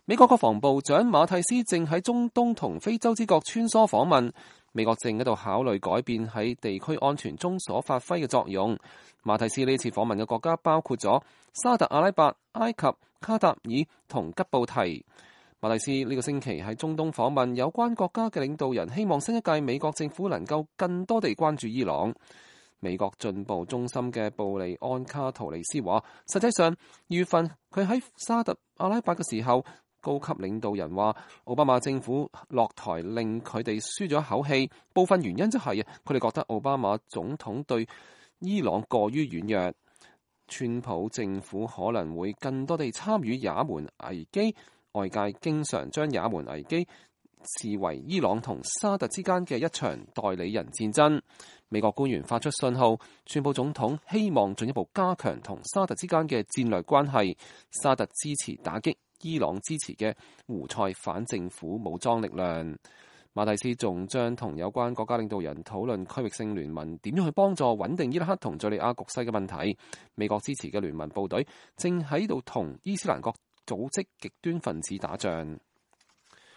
美國國防部長馬蒂斯正喺中東同非洲之角穿梭訪問，美國正喺度考慮改變喺地區安全中所發揮嘅作用。馬蒂斯呢次訪問嘅國家包括咗沙特阿拉伯、埃及、卡塔爾同吉布提。馬蒂斯呢個星期喺中東訪問，有關國家嘅領導人希望新一屆美國政府能夠更多地關注伊朗。美國進步中心嘅布利安卡圖尼斯話，實際上2月份佢喺沙特阿拉伯嘅時候，高級領導人話奧巴馬政府落台令佢哋舒咗一口氣，部分原因就係佢哋覺得奧巴馬總統對伊朗過於軟弱。川普政府可能會更多地參與也門危機，外界經常將也門危機視為伊朗同沙特之間嘅一場代理人戰爭。美國官員發出信號，川普總統希望進一步加強同沙特之間嘅戰略關係。沙特支持打擊伊朗支持嘅胡塞反政府武裝力量。馬蒂斯仲將同有關國家領導人討論區域性聯盟點樣去幫助穩定伊拉克同敘利亞局勢嘅問題。美國支持嘅聯盟部隊正喺度同伊斯蘭國組織極端分子打仗。